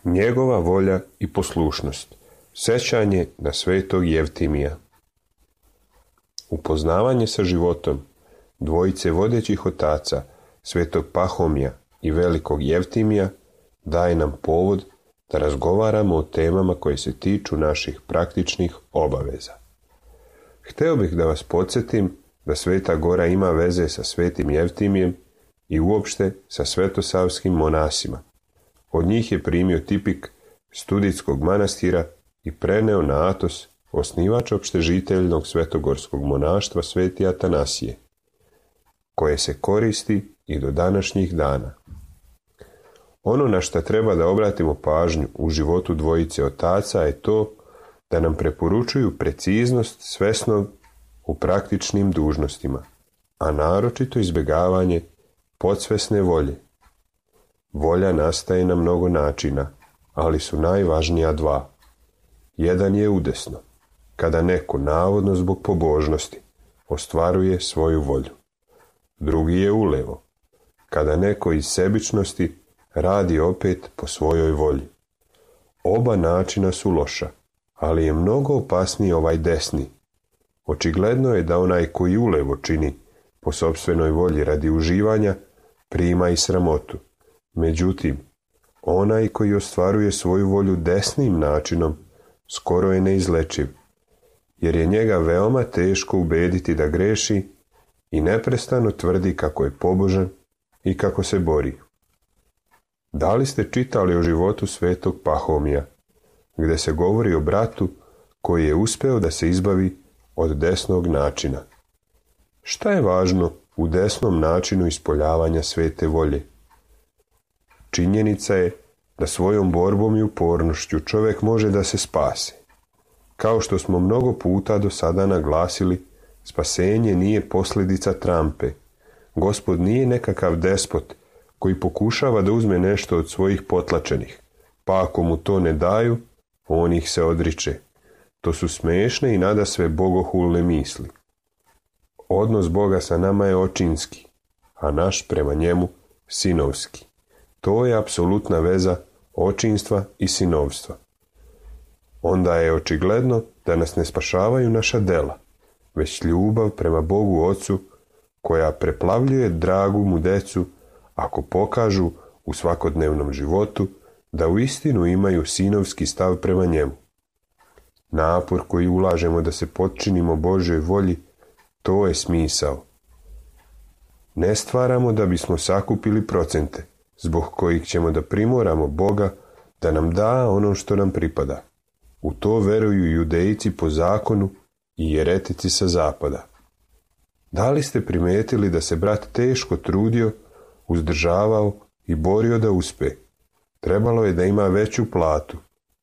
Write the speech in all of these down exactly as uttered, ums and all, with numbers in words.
Njegova volja i poslušnost. Sjećanje na svetog Jevtimija. Upoznavanje sa životom dvojice vodećih otaca, svetog Pahomija i velikog Jevtimija, daje nam povod da razgovaramo o temama koje se tiču naših praktičnih obaveza. Hteo bih da vas podsjetim da Sveta Gora ima veze sa svetim Jevtimijem i uopšte sa svetosavskim monasima. Od njih je primio tipik Studitskog manastira i preneo na Atos, osnivač opštežiteljnog svetogorskog monaštva Sveti Atanasije, koje se koristi i do današnjih dana. Ono na što treba da obratimo pažnju u životu dvojice otaca je to da nam preporučuju preciznost svesnog u praktičnim dužnostima, a naročito izbjegavanje podsvesne volje. Volja nastaje na mnogo načina, ali su najvažnija dva. Jedan je udesno, kada neko navodno zbog pobožnosti ostvaruje svoju volju. Drugi je ulevo, kada neko iz sebičnosti radi opet po svojoj volji. Oba načina su loša, ali je mnogo opasniji ovaj desni. Očigledno je da onaj koji ulevo čini po sopstvenoj volji radi uživanja prima i sramotu. Međutim, onaj koji ostvaruje svoju volju desnim načinom skoro je neizlečiv, jer je njega veoma teško ubediti da greši i neprestano tvrdi kako je pobožan i kako se bori. Da li ste čitali o životu svetog Pahomija, gdje se govori o bratu koji je uspeo da se izbavi od desnog načina? Šta je važno u desnom načinu ispoljavanja svete volje? Činjenica je da svojom borbom i upornošću čovjek može da se spase. Kao što smo mnogo puta do sada naglasili, spasenje nije posljedica trampe. Gospod nije nekakav despot koji pokušava da uzme nešto od svojih potlačenih, pa ako mu to ne daju, on ih se odriče. To su smešne i nadasve bogohulne misli. Odnos Boga sa nama je očinski, a naš prema njemu sinovski. To je apsolutna veza očinstva i sinovstva. Onda je očigledno da nas ne spašavaju naša dela, već ljubav prema Bogu Ocu, koja preplavljuje dragu mu decu ako pokažu u svakodnevnom životu da uistinu imaju sinovski stav prema njemu. Napor koji ulažemo da se potčinimo Božoj volji, to je smisao. Ne stvaramo da bismo sakupili procente, zbog kojih ćemo da primoramo Boga da nam da ono što nam pripada. U to veruju judejci po zakonu i jeretici sa zapada. Da li ste primetili da se brat teško trudio, uzdržavao i borio da uspe? Trebalo je da ima veću platu,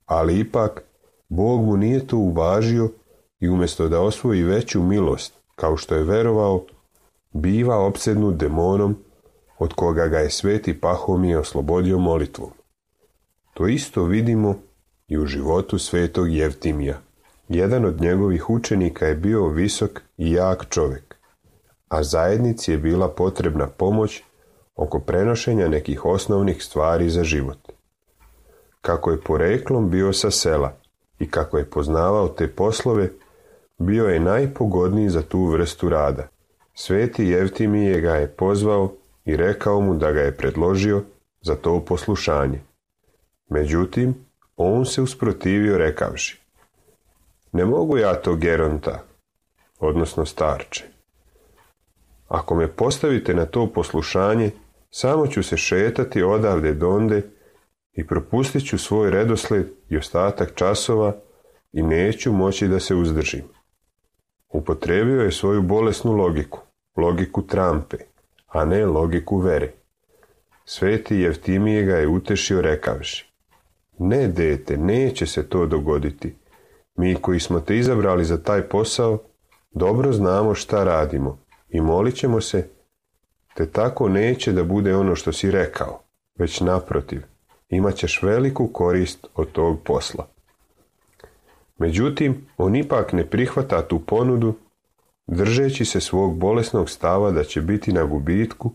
ali ipak Bog mu nije to uvažio i umjesto da osvoji veću milost, kao što je verovao, biva opsednut demonom od koga ga je sveti Pahomije oslobodio molitvom. To isto vidimo i u životu svetog Jevtimija. Jedan od njegovih učenika je bio visok i jak čovjek, a zajednici je bila potrebna pomoć oko prenošenja nekih osnovnih stvari za život. Kako je poreklom bio sa sela i kako je poznavao te poslove, bio je najpogodniji za tu vrstu rada. Sveti Jevtimije ga je pozvao i rekao mu da ga je predložio za to poslušanje. Međutim, on se usprotivio rekavši: ne mogu ja to, geronta, odnosno starče. Ako me postavite na to poslušanje, samo ću se šetati odavde donde i propustit ću svoj redosled i ostatak časova i neću moći da se uzdržim. Upotrebio je svoju bolesnu logiku, logiku trampe, a ne logiku vere. Sveti Jevtimije ga je utešio rekavši: ne, dete, neće se to dogoditi. Mi koji smo te izabrali za taj posao, dobro znamo šta radimo i molit ćemo se, te tako neće da bude ono što si rekao, već naprotiv, imat ćeš veliku korist od tog posla. Međutim, on ipak ne prihvata tu ponudu, držeći se svog bolesnog stava da će biti na gubitku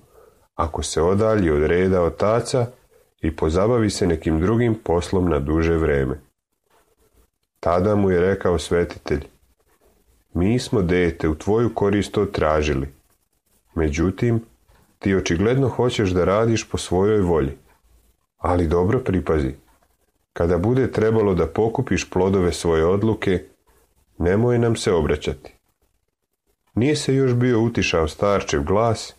ako se odalji od reda otaca i pozabavi se nekim drugim poslom na duže vreme. Tada mu je rekao svetitelj: mi smo, dete, u tvoju korist to tražili. Međutim, ti očigledno hoćeš da radiš po svojoj volji. Ali dobro pripazi, kada bude trebalo da pokupiš plodove svoje odluke, nemoj nam se obraćati. Nije se još bio utišao starčev glas,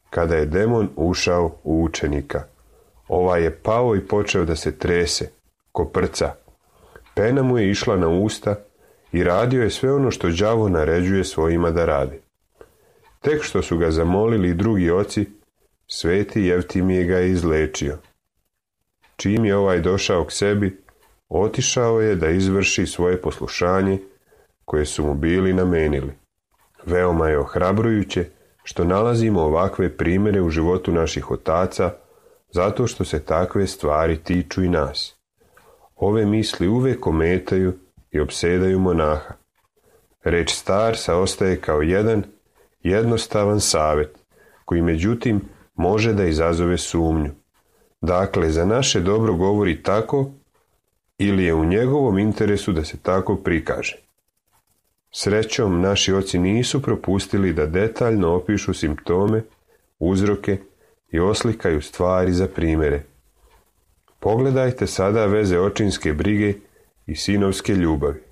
kada je demon ušao u učenika. Ovaj je pao i počeo da se trese, koprca. Pena mu je išla na usta i radio je sve ono što đavo naređuje svojima da radi. Tek što su ga zamolili i drugi oci, sveti Jevtimije ga je izlečio. Čim je ovaj došao k sebi, otišao je da izvrši svoje poslušanje koje su mu bili namenili. Veoma je ohrabrujuće što nalazimo ovakve primjere u životu naših otaca, zato što se takve stvari tiču i nas. Ove misli uvijek ometaju i opsedaju monaha. Reč starca ostaje kao jedan jednostavan savjet, koji međutim može da izazove sumnju. Dakle, za naše dobro govori tako, ili je u njegovom interesu da se tako prikaže. Srećom, naši oci nisu propustili da detaljno opišu simptome, uzroke i oslikaju stvari za primjere. Pogledajte sada veze očinske brige i sinovske ljubavi.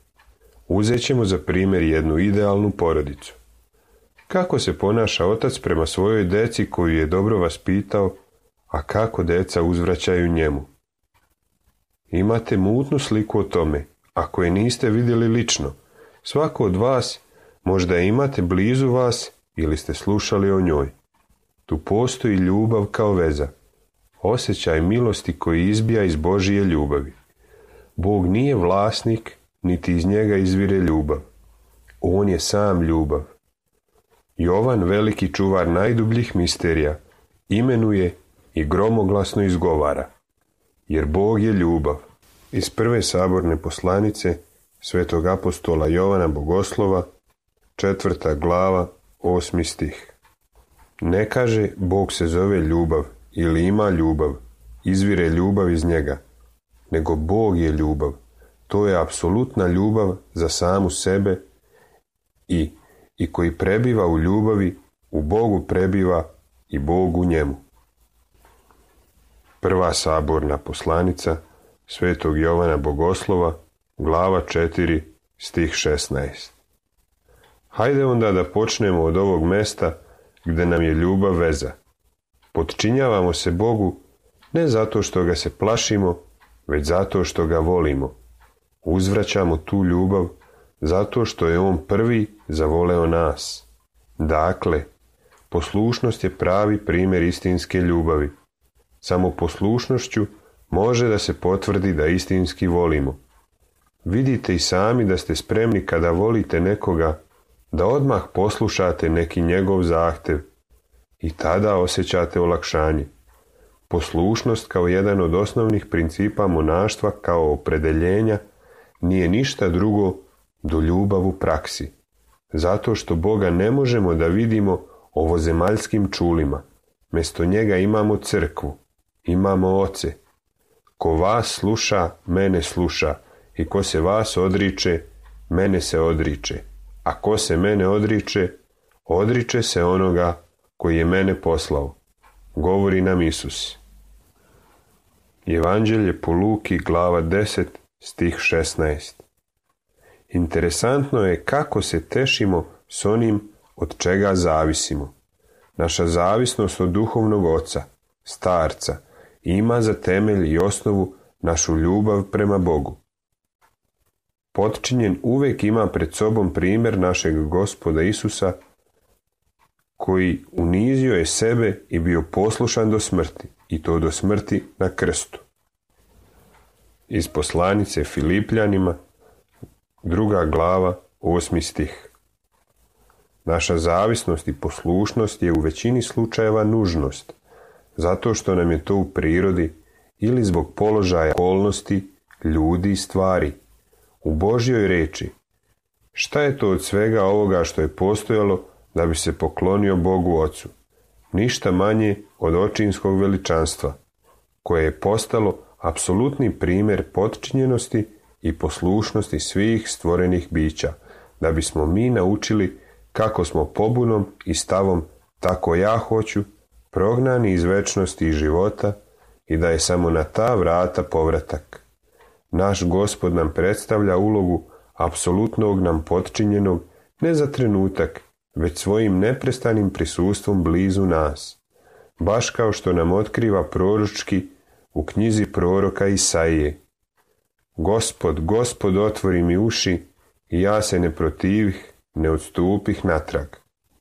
Uzet ćemo za primjer jednu idealnu porodicu. Kako se ponaša otac prema svojoj deci koju je dobro vaspitao, a kako deca uzvraćaju njemu? Imate mutnu sliku o tome, ako je niste vidjeli lično. Svako od vas možda je imate blizu vas ili ste slušali o njoj. Tu postoji ljubav kao veza, osjećaj milosti koji izbija iz Božije ljubavi. Bog nije vlasnik, niti iz njega izvire ljubav. On je sam ljubav. Jovan, veliki čuvar najdubljih misterija, imenuje i gromoglasno izgovara: jer Bog je ljubav. Iz prve saborne poslanice svetog apostola Jovana Bogoslova, četvrta glava, osmi stih. Ne kaže Bog se zove ljubav ili ima ljubav, izvire ljubav iz njega, nego Bog je ljubav. To je apsolutna ljubav za samu sebe i, i koji prebiva u ljubavi, u Bogu prebiva i Bog u njemu. Prva saborna poslanica svetog Jovana Bogoslova, glava četiri, stih šesnaest. Hajde onda da počnemo od ovog mesta gde nam je ljubav veza. Potčinjavamo se Bogu ne zato što ga se plašimo, već zato što ga volimo. Uzvraćamo tu ljubav zato što je on prvi zavoleo nas. Dakle, poslušnost je pravi primjer istinske ljubavi. Samo poslušnošću može da se potvrdi da istinski volimo. Vidite i sami da ste spremni kada volite nekoga da odmah poslušate neki njegov zahtev i tada osjećate olakšanje. Poslušnost kao jedan od osnovnih principa monaštva kao opredeljenja nije ništa drugo do ljubav u praksi, zato što Boga ne možemo da vidimo ovozemaljskim čulima. Mjesto njega imamo crkvu, imamo oce. Ko vas sluša, mene sluša, i ko se vas odriče, mene se odriče. A ko se mene odriče, odriče se onoga koji je mene poslao, govori nam Isus. Evanđelje po Luki, glava deset, stih šesnaest. Interesantno je kako se tešimo s onim od čega zavisimo. Naša zavisnost od duhovnog oca, starca, ima za temelj i osnovu našu ljubav prema Bogu. Potčinjen uvijek ima pred sobom primjer našeg Gospoda Isusa, koji unizio je sebe i bio poslušan do smrti, i to do smrti na krstu. Iz poslanice Filipljanima, druga glava, osmi stih. Naša zavisnost i poslušnost je u većini slučajeva nužnost, zato što nam je to u prirodi ili zbog položaja okolnosti, ljudi i stvari. U Božjoj reči, šta je to od svega ovoga što je postojalo da bi se poklonio Bogu Ocu? Ništa manje od očinskog veličanstva. koje je postalo apsolutni primjer potčinjenosti i poslušnosti svih stvorenih bića, da bismo mi naučili kako smo pobunom i stavom tako ja hoću, prognani iz večnosti i života i da je samo na ta vrata povratak. Naš Gospod nam predstavlja ulogu apsolutnog nam potčinjenog ne za trenutak, već svojim neprestanim prisustvom blizu nas, baš kao što nam otkriva proročki u knjizi proroka Isaije. Gospod, Gospod, otvori mi uši i ja se ne protivih, ne odstupih natrag.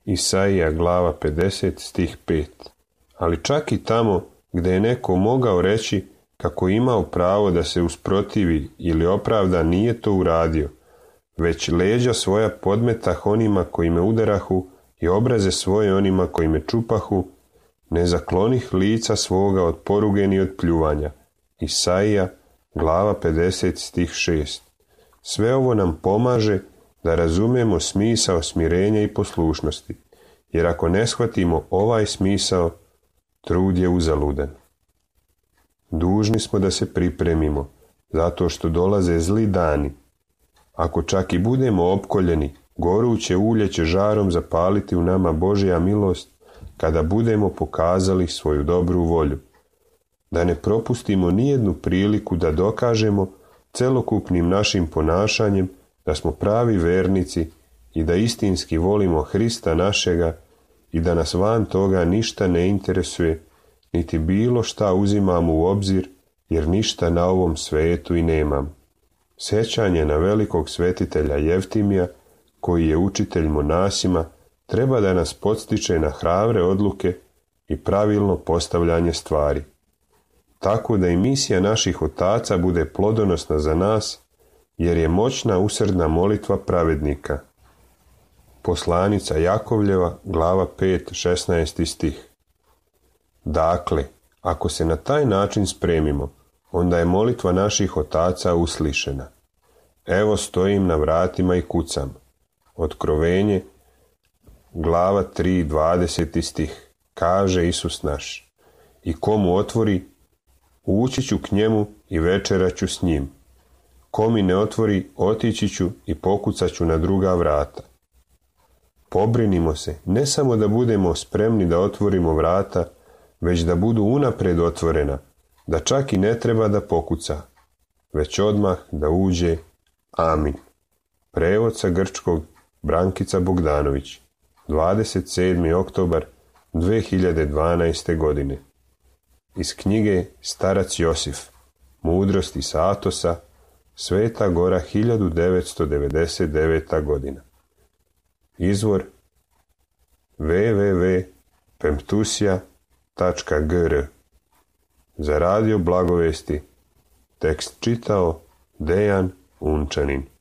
Isaija glava pedeset stih pet. Ali čak i tamo gdje je neko mogao reći kako imao pravo da se usprotivi ili opravda, nije to uradio, već leđa svoja podmetah onima koji me udarahu i obraze svoje onima koji me čupahu, ne zaklonih lica svoga od poruge ni od pljuvanja. Isaija glava pedeset stih šest. Sve ovo nam pomaže da razumijemo smisao smirenja i poslušnosti, jer ako ne shvatimo ovaj smisao, trud je uzaludan. Dužni smo da se pripremimo, zato što dolaze zli dani. Ako čak i budemo opkoljeni, goruće ulje će žarom zapaliti u nama Božja milost kada budemo pokazali svoju dobru volju. Da ne propustimo nijednu priliku da dokažemo celokupnim našim ponašanjem da smo pravi vernici i da istinski volimo Hrista našega i da nas van toga ništa ne interesuje, niti bilo šta uzimamo u obzir, jer ništa na ovom svetu i nemam. Sjećanje na velikog svetitelja Jeftimija, koji je učitelj monasima, treba da nas podstiče na hrabre odluke i pravilno postavljanje stvari. Tako da i misija naših otaca bude plodonosna za nas, jer je moćna usrdna molitva pravednika. Poslanica Jakovljeva, glava pet, šesnaesti stih. Dakle, ako se na taj način spremimo, onda je molitva naših otaca uslišena. Evo stojim na vratima i kucam. Otkrovenje, glava tri, dvadeseti stih. Kaže Isus naš. I komu otvori, ući ću k njemu i večerat ću s njim. Ko mi ne otvori, otići ću i pokucat ću na druga vrata. Pobrinimo se, ne samo da budemo spremni da otvorimo vrata, već da budu unapred otvorena, da čak i ne treba da pokuca, već odmah da uđe. Amin. Prevod sa grčkog Brankica Bogdanović, dvadeset sedmi oktobar dve hiljade dvanaeste. godine. Iz knjige Starac Josif, Mudrosti sa Atosa, Sveta Gora, hiljadu devetsto devedeset deveta. godina. Izvor w w w tačka pemptusija tačka g r. Za radio Blagovesti tekst čitao Dejan Unčanin.